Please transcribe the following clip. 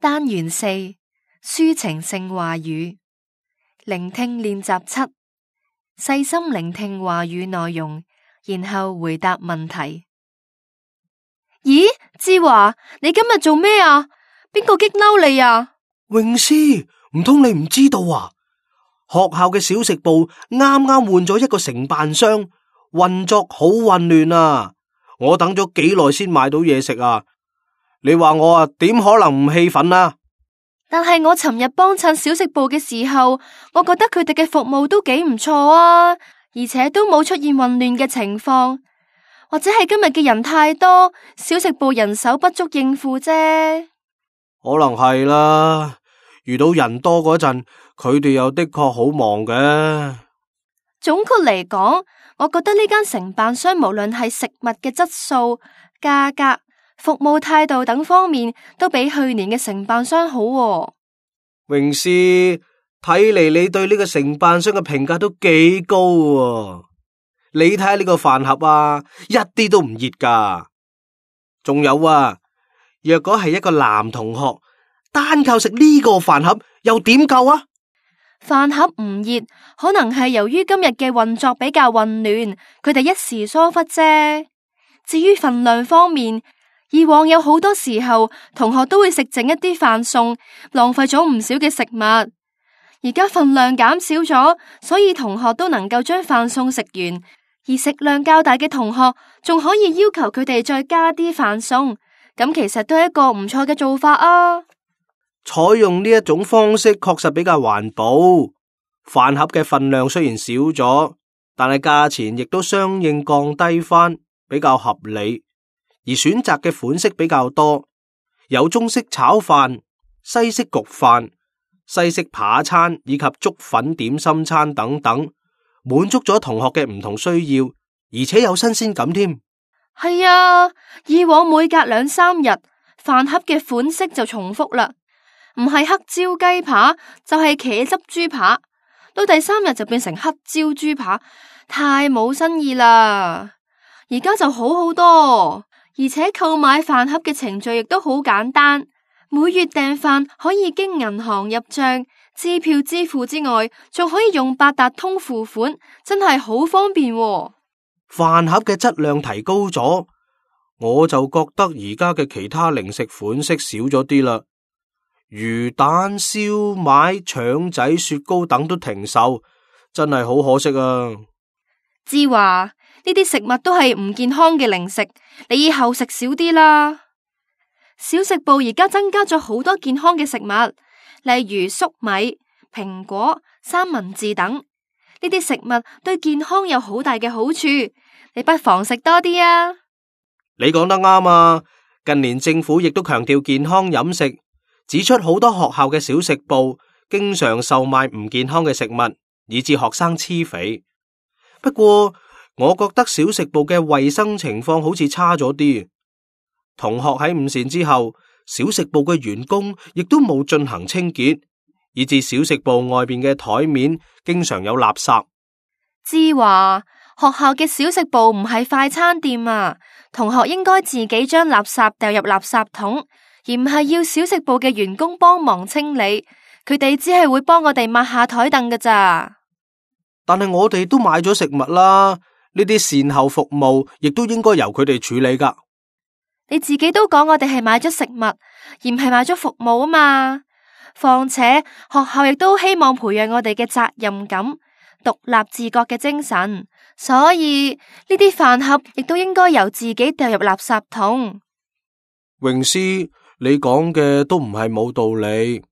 單元四，抒情性話語，聆聽練習7，細心聆聽話語內容，然後回答問題。咦，志華，你今日做咩啊？邊個激嬲你啊？詠詩，唔通你唔知道啊？學校嘅小食部啱啱換咗一個承辦商，運作好混亂啊！我等咗幾耐先買到嘢食啊！你話我啊，點可能唔氣憤啊？但係我尋日幫襯小食部嘅時候，我覺得佢哋嘅服務都幾唔錯啊，而且都冇出現混亂嘅情況。或者係今日嘅人太多，小食部人手不足應付啫。可能係啦，遇到人多嗰陣，佢哋又的確好忙嘅。總括嚟講，我覺得呢間承辦商無論係食物嘅質素、價格、服務態度等方面，都比去年嘅承辦商好喎。詠詩，睇嚟你對呢個承辦商嘅評價都幾高喎。你睇下呢個飯盒啊，一啲都唔熱噶。仲有啊，若果係一個男同學，單靠食呢個飯盒又點夠啊？飯盒唔熱，可能係由於今日嘅運作比較混亂，佢哋一時疏忽啫。至於份量方面，以往有好多時候，同學都會食剩一啲飯餸，浪費咗唔少嘅食物。而家份量減少咗，所以同學都能夠將飯餸食完。而食量較大嘅同學，仲可以要求佢哋再加啲飯餸，咁其實都係一個唔錯嘅做法啊！採用呢一種方式確實比較環保，飯盒嘅份量雖然少咗，但係價錢亦都相應降低返，比較合理。而選擇嘅款式比較多，有中式炒飯、西式焗飯、西式扒餐以及粥粉點心餐等等。滿足咗同學嘅唔同需要，而且有新鮮感添。係啊，以往每隔2-3日，飯盒嘅款式就重複啦，唔係黑椒雞扒就係茄汁豬扒，到第3日就變成黑椒豬扒，太冇新意啦。而家就好好多，而且購買飯盒嘅程序亦都好簡單，每月訂飯可以經銀行入賬。支票支付之外，仲可以用八達通付款，真係好方便喎。飯盒嘅質量提高咗，我就覺得而家嘅其他零食款式少咗啲啦。魚蛋、燒賣、腸仔、雪糕等都停售，真係好可惜啊！志華，呢啲食物都係唔健康嘅零食，你以後食少啲啦。小食部而家增加咗好多健康嘅食物。例如粟米、蘋果、三文治等，呢啲食物對健康有好大嘅好處，你不妨食多啲啊！你講得啱啊！近年政府亦都強調健康飲食，指出好多學校嘅小食部經常售賣唔健康嘅食物，以致學生癡肥。不過，我覺得小食部嘅衛生情況好似差咗啲。同學喺午膳之後，小食部嘅員工亦都冇進行清潔，以致小食部外邊嘅台面經常有垃圾。志華，學校嘅小食部唔係快餐店啊，同學應該自己將垃圾掉入垃圾桶，而唔係要小食部嘅員工幫忙清理。佢哋只係會幫我哋抹下台凳㗎咋。但係我哋都買咗食物啦，呢啲善後服務亦都應該由佢哋處理㗎。你自己都講我哋係買咗食物，而唔係買咗服務啊嘛。況且學校亦都希望培養我哋嘅責任感、獨立自覺嘅精神，所以呢啲飯盒亦都應該由自己掉入垃圾桶。詠詩，你講嘅都唔係冇道理。